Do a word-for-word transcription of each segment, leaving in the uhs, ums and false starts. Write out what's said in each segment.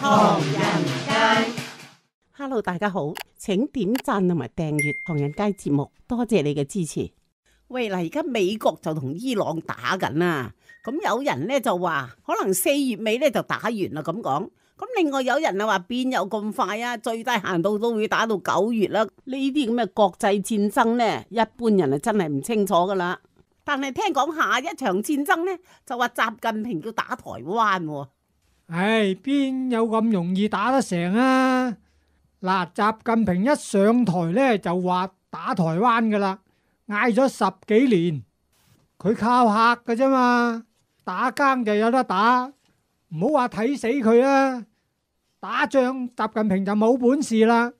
唐人街。Hello， 大家好，請點讚同埋訂閱唐人街節目，多謝你嘅支持。喂，嗱，而家美國就同伊朗打緊啦，咁有人咧就話可能四月尾咧就打完啦咁講，咁另外有人啊話邊有咁快啊，最低限度都會打到九月啦。呢啲咁嘅國際戰爭咧，一般人啊真係唔清楚噶啦。但係聽講下一場戰爭咧，就話習近平要打台灣喎。唉，邊有咁容易打得成啊？嗱，習近平一上台咧就話打台灣噶啦，嗌咗十幾年，佢靠嚇噶啫嘛，打更就有得打，唔好話睇死佢啦。打仗習近平就冇本事啦。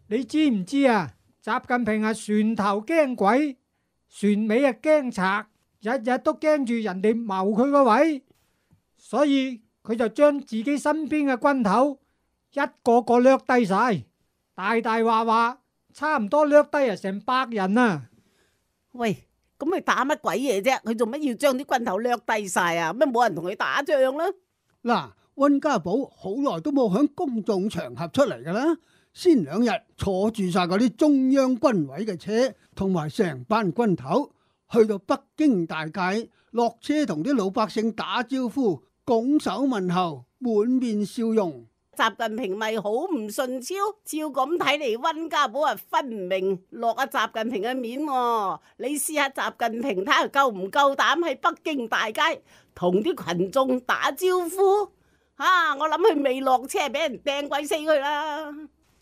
你知唔知啊？習近平係船頭驚鬼，船尾啊驚賊，日日都驚住人哋謀佢個位，所以佢就將自己身邊嘅軍頭一個個掠低晒，大大話話差唔多掠低啊成百人啊！喂，咁佢打乜鬼嘢啫？佢做乜要將啲軍頭掠低晒啊？咩冇人同佢打仗啦？嗱，溫家寶好耐都冇響公眾場合出嚟噶啦，先兩日坐住晒嗰啲中央軍委嘅車，同埋成班軍頭去到北京大街，落車同啲老百姓打招呼，拱手問候，滿面笑容。習近平咪好唔順超，照咁睇嚟，溫家寶啊分唔明落阿習近平嘅面喎。你試下習近平睇下夠唔夠膽喺北京大街同啲群眾打招呼？啊，我諗佢未落車俾人掟鬼死佢啦！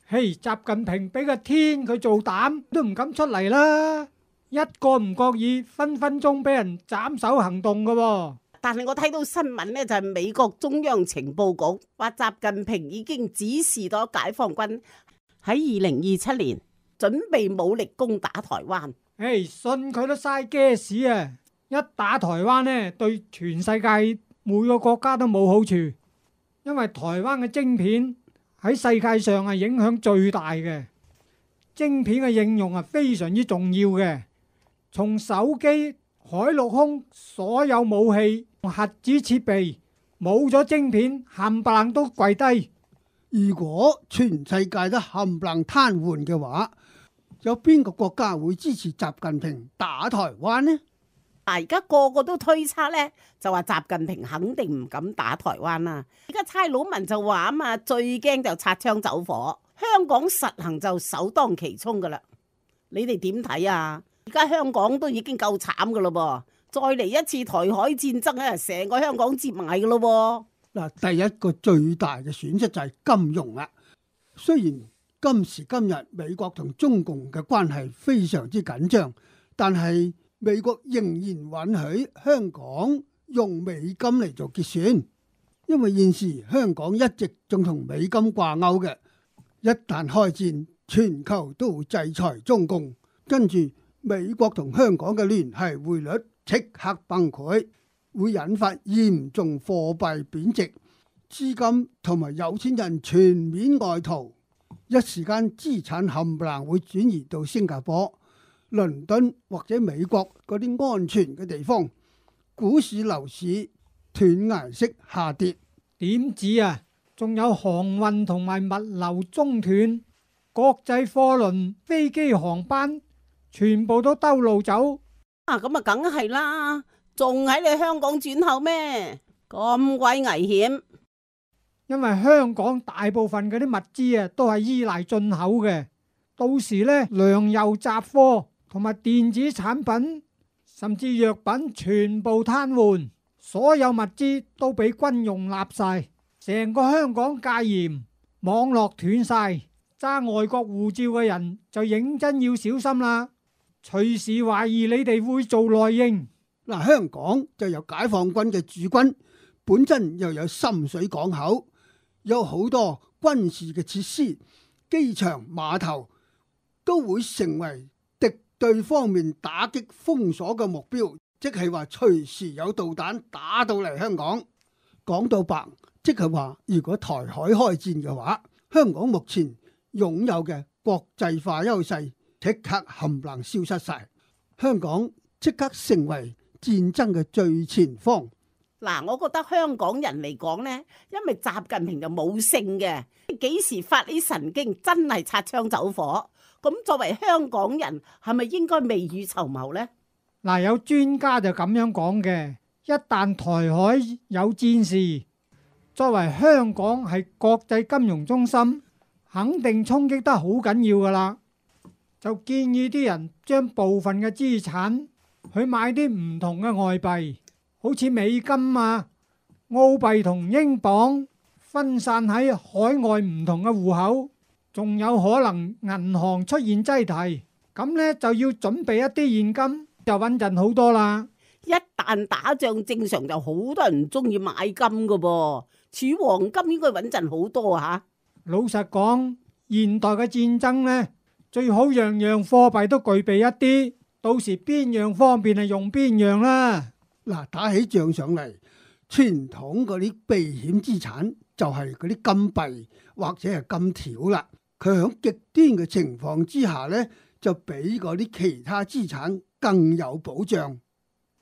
嘿，習近平俾個天佢做膽都唔敢出嚟啦，一個唔覺意分分鐘俾人斬首行動噶喎。但係我睇到新聞呢，就係美國中央情報局話習近平已經指示咗解放軍喺二零二七年準備武力攻打台灣。誒，信佢都嘥 gas 啊！一打台灣呢，對全世界每個國家都冇好處，因為台灣嘅晶片喺世界上係影響最大嘅，晶片嘅應用係非常之重要嘅，從手機、海陸空所有武器、核子設備冇咗晶片，冚唪唥都跪低。如果全世界都冚唪唥癱瘓嘅話，有邊個國家會支持習近平打台灣呢？啊！而家個個都推測呢，就話習近平肯定唔敢打台灣啦。而家差佬文就話啊嘛，最驚就擦槍走火，香港實行就首當其衝噶啦。你哋點睇啊？而家香港都已經夠慘噶咯噃，再嚟一次台海戰爭咧，成個香港接埋噶咯噃。嗱，第一個最大嘅損失就係金融啦。雖然今時今日美國同中共嘅關係非常之緊張，但係美國仍然允許香港用美金嚟做結算，因為現時香港一直仲同美金掛鈎嘅。一旦開戰，全球都會制裁中共，跟住美國同香港嘅聯繫匯率即刻崩潰，會引發嚴重貨幣貶值，資金同埋有錢人全面外逃，一時間資產冚唪唥會轉移到新加坡、倫敦或者美國嗰啲安全嘅地方，股市樓市斷崖式下跌。點止啊？仲有航運同埋物流中斷，國際貨輪、飛機航班全部都兜路走。啊，咁啊，梗係啦，仲喺你香港轉口咩？咁鬼危險！因為香港大部分嗰啲物資啊，都係依賴進口嘅，到時呢，糧油雜貨同埋電子產品，甚至藥品全部癱瘓，所有物資都俾軍用立晒，成個香港戒嚴，網絡斷晒，揸外國護照嘅人就認真要小心啦，隨時懷疑你哋會做內應。嗱，香港就有解放軍嘅駐軍，本身又有深水港口，有好多軍事嘅設施，機場、碼頭都會成為敵對方面打擊封鎖嘅目標，即係話隨時有導彈打到嚟香港。講到白，即係話如果台海開戰嘅話，香港目前擁有嘅國際化優勢即刻冚唪唥消失晒，香港即刻成為戰爭嘅最前方。嗱，我覺得香港人嚟講呢，因為習近平就冇性嘅，幾時發啲神經真係擦槍走火。咁作為香港人，係咪應該未雨綢繆呢？嗱，有專家就咁樣講嘅，一旦台海有戰事，作為香港係國際金融中心，肯定衝擊得好緊要噶啦。就建議啲人將部分嘅資產去買啲唔同嘅外幣，好似美金啊、澳幣同英鎊，分散喺海外唔同嘅戶口，仲有可能銀行出現擠提，咁呢就要準備一啲現金，就穩陣好多啦。一旦打仗，正常就好多人唔中意買金噶噃，儲黃金應該穩陣好多吓。老實講，現代嘅戰爭呢，最好樣樣貨幣都具備一啲，到時邊樣方便係用邊樣啦。嗱，打起仗上嚟，傳統嗰啲避險資產就係嗰啲金幣或者係金條啦。佢響極端嘅情況之下呢，就比嗰啲其他資產更有保障。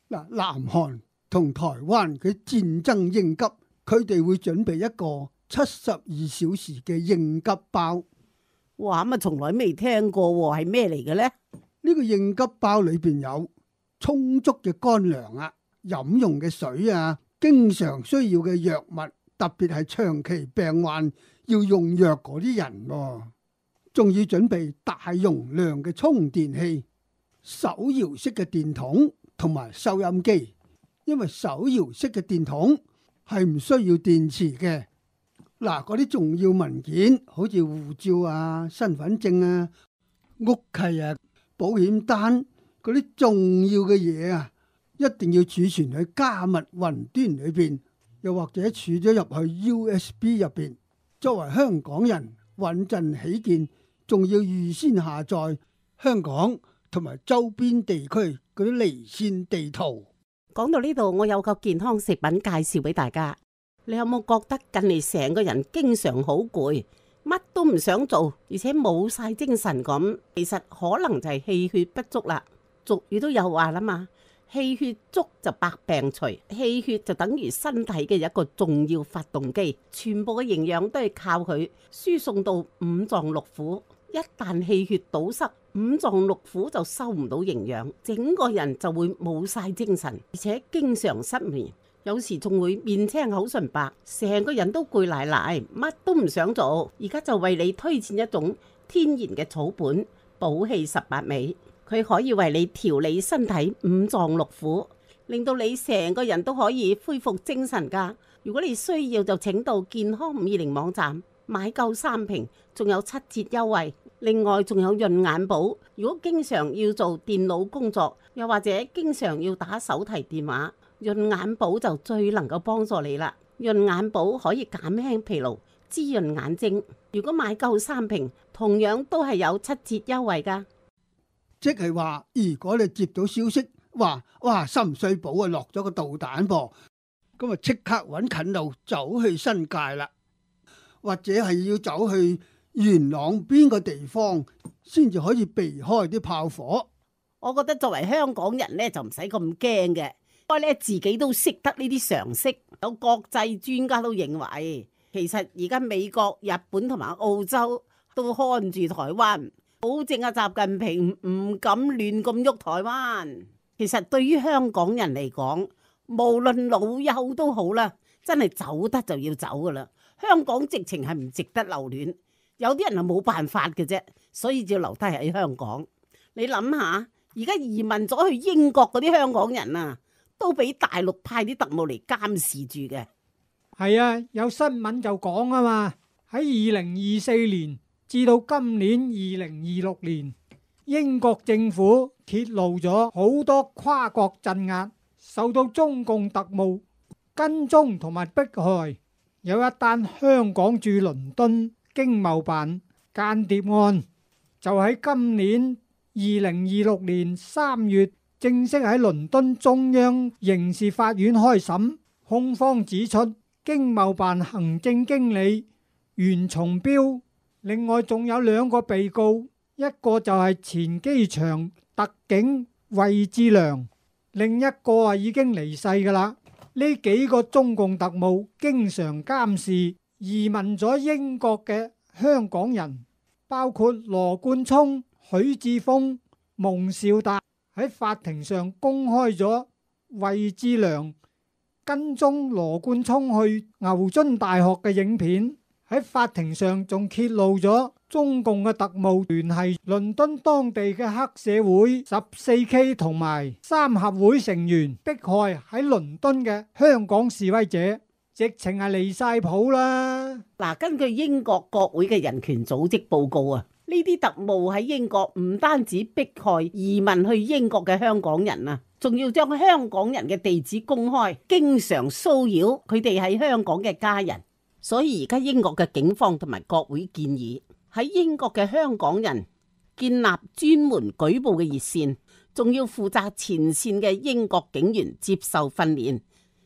嗱，南韓同台灣嘅戰爭應急，佢哋會準備一個七十二小時嘅應急包。哇，咁啊從來未聽過喎，係咩嚟嘅呢？呢個應急包裏邊有充足嘅乾糧啊、飲用嘅水啊、經常需要嘅藥物，特別係長期病患要用藥嗰啲人喎，仲要準備大容量嘅充電器、手搖式嘅電筒同埋收音機，因為手搖式嘅電筒係唔需要電池嘅。嗱，嗰啲重要文件，好似護照啊、身份證啊、屋契啊、保險單嗰啲重要嘅嘢啊，一定要儲存喺加密雲端裏邊，又或者儲咗入去 U S B 入邊。作為香港人，穩陣起見，仲要預先下載香港同埋周邊地區嗰啲離線地圖。講到呢度，我有個健康食品介紹俾大家。你有冇覺得近嚟成個人經常好攰，乜都唔想做，而且冇晒精神咁？其實可能就係氣血不足啦。俗語都有話啦嘛，氣血足就百病除，氣血就等於身體嘅一個重要發動機，全部嘅營養都係靠佢輸送到五臟六腑。一旦氣血堵塞，五臟六腑就收唔到營養，整個人就會冇晒精神，而且經常失眠。有時仲會面青口唇白，成個人都攰賴賴，乜都唔想做。而家就為你推薦一種天然嘅草本補氣十八味，佢可以為你調理身體五臟六腑，令到你成個人都可以恢復精神㗎。如果你需要就請到健康五二零網站買夠三瓶，仲有七折優惠。另外仲有潤眼寶，如果經常要做電腦工作，又或者經常要打手提電話，潤眼寶就最能夠幫助你啦。潤眼寶可以減輕疲勞，滋潤眼睛。如果買夠三瓶，同樣都係有七折優惠噶。即係話，如果你接到消息話，哇，深水埗啊落咗個導彈噃，咁啊即刻搵近路走去新界啦，或者係要走去元朗邊個地方先至可以避開啲炮火。我覺得作為香港人呢，就唔使咁驚嘅。不過咧，自己都識得呢啲常識，有國際專家都認為，其實而家美國、日本同埋澳洲都看住台灣，保證阿習近平唔敢亂咁喐台灣。其實對於香港人嚟講，無論老幼都好啦，真係走得就要走噶啦。香港直情係唔值得留戀，有啲人係冇辦法嘅啫，所以就要留低喺香港。你諗下，而家移民咗去英國嗰啲香港人啊，都俾大陸派啲特務嚟監視住嘅。係啊，有新聞就講啊嘛，喺二零二四年至到今年二零二六年，英國政府揭露咗好多跨國鎮壓，受到中共特務跟蹤同埋迫害。有一單香港駐倫敦經貿辦間諜案，就喺今年二零二六年三月正式喺倫敦中央刑事法院開審。控方指出，經貿辦行政經理袁松標，另外仲有兩個被告，一個就係前機場特警魏志良，另一個啊已經離世噶啦。呢幾個中共特務經常監視移民咗英國嘅香港人，包括羅冠聰、許智峰、蒙兆達，喺法庭上公開咗衛志良跟蹤羅冠聰去牛津大學嘅影片。喺法庭上仲揭露咗中共嘅特務聯繫倫敦當地嘅黑社會十四 K 同埋三合會成員，迫害喺倫敦嘅香港示威者，直情係離晒譜啦。嗱，根據英國國會嘅人權組織報告啊，呢啲特務喺英國唔單止迫害移民去英國嘅香港人啊，仲要將香港人嘅地址公開，經常騷擾佢哋喺香港嘅家人。所以而家英國嘅警方同埋國會建議喺英國嘅香港人建立專門舉報嘅熱線，仲要負責前線嘅英國警員接受訓練，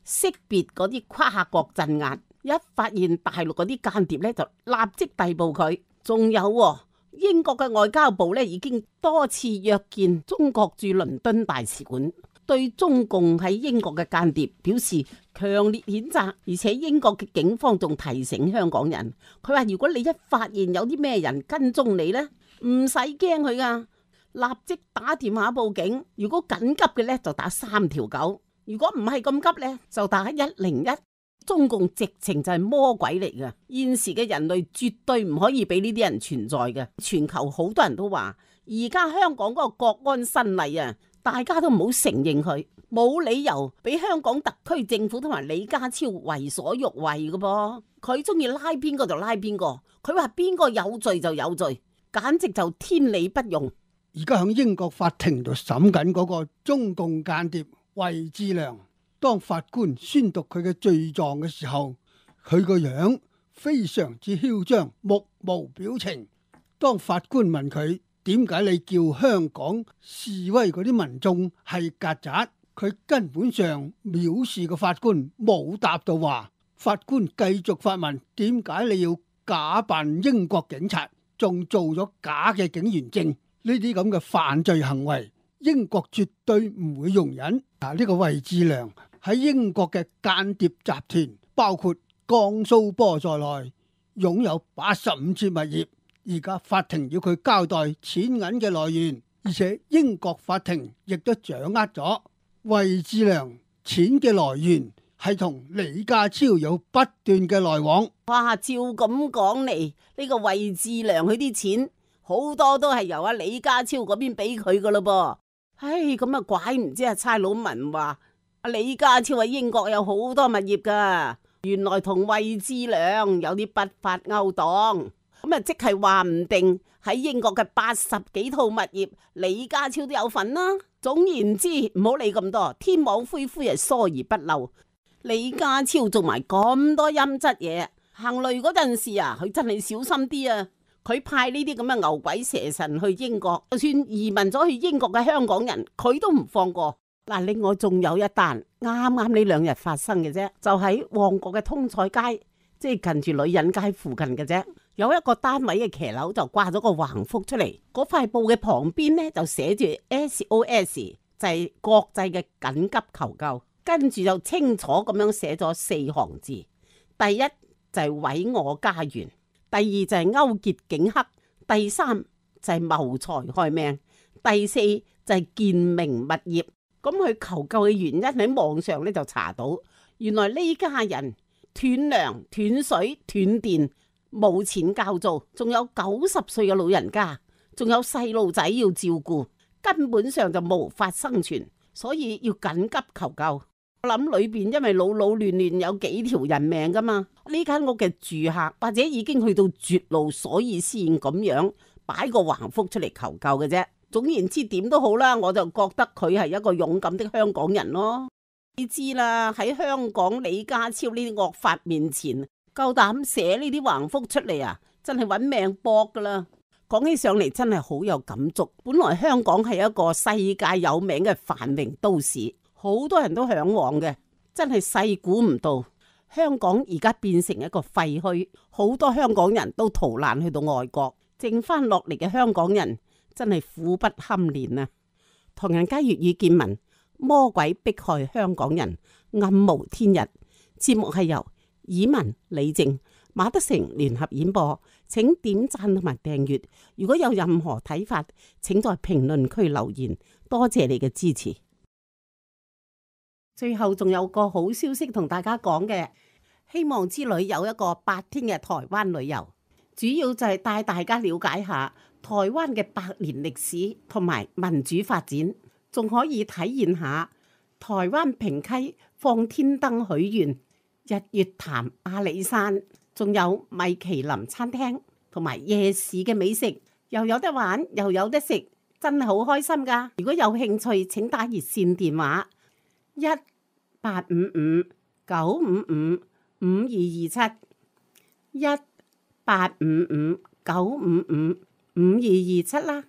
識別嗰啲跨國鎮壓，一發現大陸嗰啲間諜咧就立即逮捕佢。仲有喎，英國嘅外交部咧已經多次約見中國駐倫敦大使館，對中共喺英國嘅間諜表示強烈譴責，而且英國嘅警方仲提醒香港人，佢話如果你一發現有啲咩人跟蹤你呢，唔使驚佢噶，立即打電話報警。如果緊急嘅呢，就打三條九；如果唔係咁急呢，就打一零一。中共直情就係魔鬼嚟噶，現時嘅人類絕對唔可以俾呢啲人存在嘅。全球好多人都話，而家香港嗰個國安新例啊，大家都唔好承認佢，冇理由俾香港特區政府同埋李家超為所欲為噶噃。佢中意拉邊個就拉邊個，佢話邊個有罪就有罪，簡直就天理不容。而家喺英國法庭度審緊嗰個中共間諜衛志良，當法官宣讀佢嘅罪狀嘅時候，佢個樣非常之囂張，目無表情。當法官問佢點解你叫香港示威嗰啲民眾係曱甴，佢根本上藐視個法官，冇答到話。法官繼續發問，點解你要假扮英國警察，仲做咗假嘅警員證？呢啲咁嘅犯罪行為，英國絕對唔會容忍。嗱，呢個衛志良喺英國嘅間諜集團，包括江蘇波在內，擁有八十五處物業。而家法庭要佢交代錢銀嘅來源，而且英國法庭亦都掌握咗衛志良錢嘅來源係同李家超有不斷嘅來往。哇，照咁講嚟，呢個衛志良佢啲錢好多都係由阿李家超嗰邊俾佢噶咯噃。唉，咁啊怪唔知阿差佬文話阿李家超喺英國有好多物業噶，原來同衛志良有啲不法勾當。咁啊，即係話唔定喺英國嘅八十幾套物業，李家超都有份啦。總言之，唔好理咁多，天網恢恢係疏而不漏。李家超做埋咁多陰質嘢，行雷嗰陣時啊，佢真係小心啲啊！佢派呢啲咁嘅牛鬼蛇神去英國，就算移民咗去英國嘅香港人，佢都唔放過。嗱，另外仲有一單啱啱呢兩日發生嘅啫，就喺旺角嘅通菜街，即係近住女人街附近嘅啫。有一個單位嘅騎樓就掛咗個橫幅出嚟，嗰塊布嘅旁邊呢就寫住 S O S， 就係國際嘅緊急求救。跟住就清楚咁樣寫咗四行字：第一就係毀我家園，第二就係勾結警黑，第三就係謀財害命，第四就係建明物業。咁佢求救嘅原因喺網上咧就查到，原來呢家人斷糧、斷水、斷電，冇錢交租，仲有九十歲嘅老人家，仲有細路仔要照顧，根本上就無法生存，所以要緊急求救。我諗裏邊因為老老亂亂有幾條人命噶嘛，呢間屋嘅住客或者已經去到絕路，所以先咁樣擺個橫幅出嚟求救嘅啫。總言之，點都好啦，我就覺得佢係一個勇敢的香港人咯。你知啦，喺香港李家超呢啲惡法面前，夠膽寫呢啲橫幅出嚟啊，真係揾命搏噶啦。講起上嚟真係好有感觸。本來香港係一個世界有名嘅繁榮都市，好多人都向往嘅，真係細估唔到香港而家變成一個廢墟，好多香港人都逃難去到外國，剩翻落嚟嘅香港人真係苦不堪言啊！唐人街粵語見聞，魔鬼迫害香港人，暗無天日》。節目係由以文、李靜、馬德成聯合演播，請點讚同埋訂閱。如果有任何睇法，請在評論區留言。多謝你嘅支持。最後仲有個好消息同大家講嘅，希望之旅有一個八天嘅台灣旅遊，主要就係帶大家了解下台灣嘅百年歷史同埋民主發展，仲可以體驗下台灣平溪放天燈許願、日月潭阿里山，仲有米其林餐廳同埋夜市嘅美食，又有得玩又有得食，真係好開心㗎！如果有興趣，請打熱線電話一八五五九五五五二二七一八五五九五五五二二七啦。